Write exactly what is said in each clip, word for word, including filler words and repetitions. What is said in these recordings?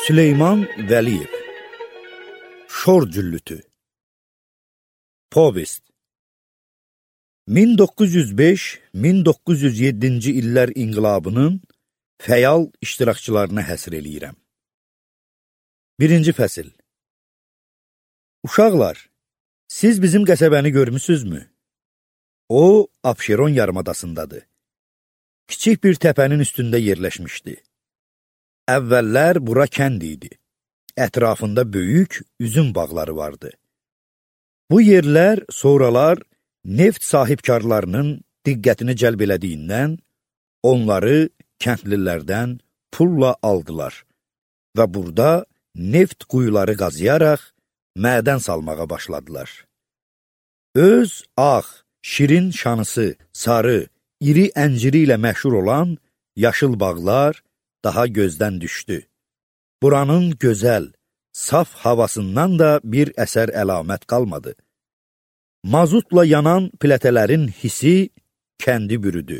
Süleyman Vəliyev Şor Cüllütü Povest min doqquz yüz beş - min doqquz yüz yeddinci illər inqilabının fəal iştirakçılarına həsr eləyirəm. Birinci fəsil. Uşaqlar, siz bizim qəsəbəni görmüsünüzmü? O, Abşeron yarımadasındadır. Kiçik bir təpənin üstündə yerləşmişdi. Əvvəllər bura kənd idi. Ətrafında böyük üzüm bağları vardı. Bu yerlər sonralar neft sahibkarlarının diqqətini cəlb elədiyindən onları kəndlilərdən pulla aldılar və burada neft quyuları qazıyaraq mədən salmağa başladılar. Öz ağ, şirin şanısı, sarı, iri ənciri ilə məşhur olan yaşıl bağlar daha gözdən düşdü. Buranın gözəl, saf havasından da bir əsər əlamət qalmadı. Mazutla yanan plətələrin hisi kəndi bürüdü.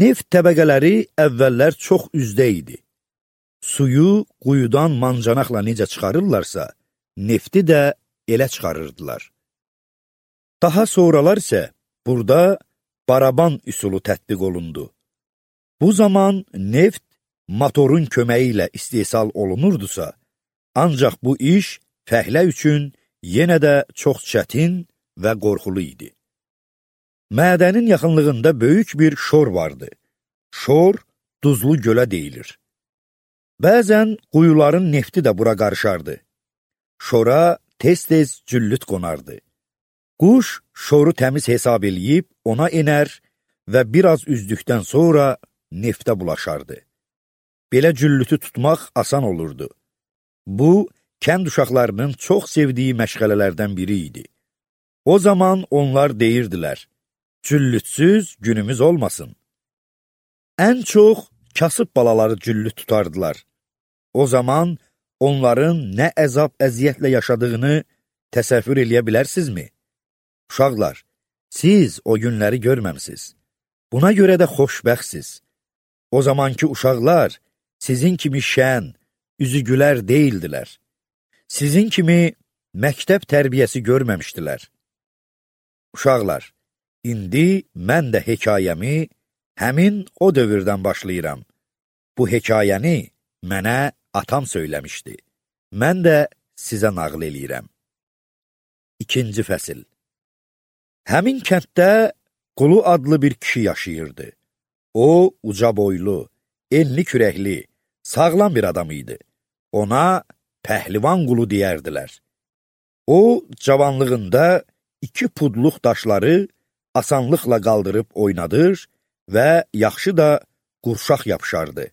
Neft təbəqələri əvvəllər çox üzdə idi. Suyu quyudan mancanaqla necə çıxarırlarsa, nefti də elə çıxarırdılar. Daha sonralar isə burada baraban üsulu tətbiq olundu. Bu zaman neft motorun köməyi ilə istehsal olunurdusa, ancaq bu iş fəhlə üçün yenə də çox çətin və qorxulu idi. Mədənin yaxınlığında böyük bir şor vardı. Şor, duzlu gölə deyilir. Bəzən quyuların nefti də bura qarışardı. Şora tez-tez cüllüt qonardı. Quş şoru təmiz hesab eləyib ona enər və biraz üzdükdən sonra neftə bulaşardı. Belə cüllütü tutmaq asan olurdu. Bu, kənd uşaqlarının çox sevdiyi məşğələlərdən biri idi. O zaman onlar deyirdilər, cüllütsüz günümüz olmasın. Ən çox kasıb balaları cüllüt tutardılar. O zaman onların nə əzab-əziyyətlə yaşadığını təsəvvür eləyə bilərsinizmi? Uşaqlar, siz o günləri görməmsiz. Buna görə də xoşbəxtsiz. O zamanki uşaqlar sizin kimi şən, üzü gülər deyildilər. Sizin kimi məktəb tərbiyəsi görməmişdilər. Uşaqlar, indi mən də hekayəmi həmin o dövrdən başlayıram. Bu hekayəni mənə atam söyləmişdi. Mən də sizə nağıl eləyirəm. İkinci fəsil. Həmin kənddə Qulu adlı bir kişi yaşayırdı. O, uca boylu, enli kürəkli, sağlam bir adam idi. Ona Pəhlivan Qulu deyərdilər. O, cavanlığında iki pudluq daşları asanlıqla qaldırıb oynadır və yaxşı da qurşaq yapışardı.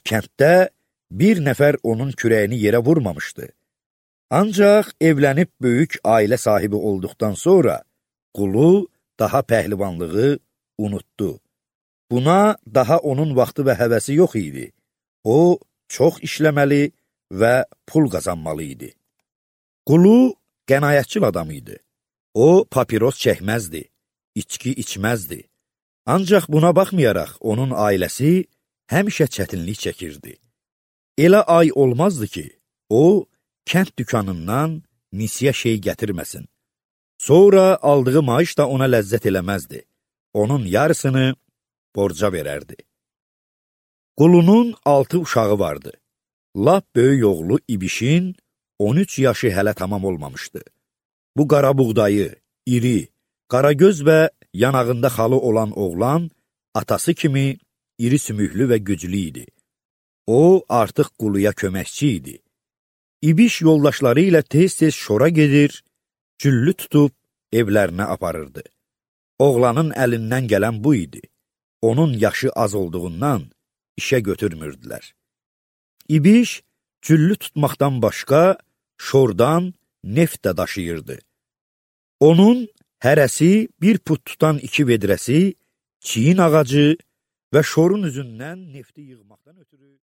Kənddə bir nəfər onun kürəyini yerə vurmamışdı. Ancaq evlənib böyük ailə sahibi olduqdan sonra Qulu daha pəhlivanlığı unutdu. Buna daha onun vaxtı və həvəsi yox idi. O, çox işləməli və pul qazanmalı idi. Qulu qənaətçil adam idi. O, papiros çəkməzdi, içki içməzdi. Ancaq buna baxmayaraq onun ailəsi həmişə çətinlik çəkirdi. Elə ay olmazdı ki, o, kənd dükanından nisiyə şey gətirməsin. Sonra aldığı maaş da ona ləzzət eləməzdi. Onun yarısını borca verərdi. Qulunun altı uşağı vardı. Lap böyük oğlu İbişin on üç yaşı hələ tamam olmamışdı. Bu qara buğdayı, iri, qaragöz və yanağında xalı olan oğlan atası kimi iri sümüklü və güclü idi. O, artıq Quluya köməkçi idi. İbiş yoldaşları ilə tez-tez şora gedir, cüllü tutub evlərinə aparırdı. Oğlanın əlindən gələn bu idi. Onun yaşı az olduğundan işə götürmürdülər. İbiş cüllü tutmaqdan başqa şordan neft də daşıyırdı. Onun hərəsi bir put tutan iki vedrəsi, çiyin ağacı və şorun üzündən nefti yığmaqdan ötürü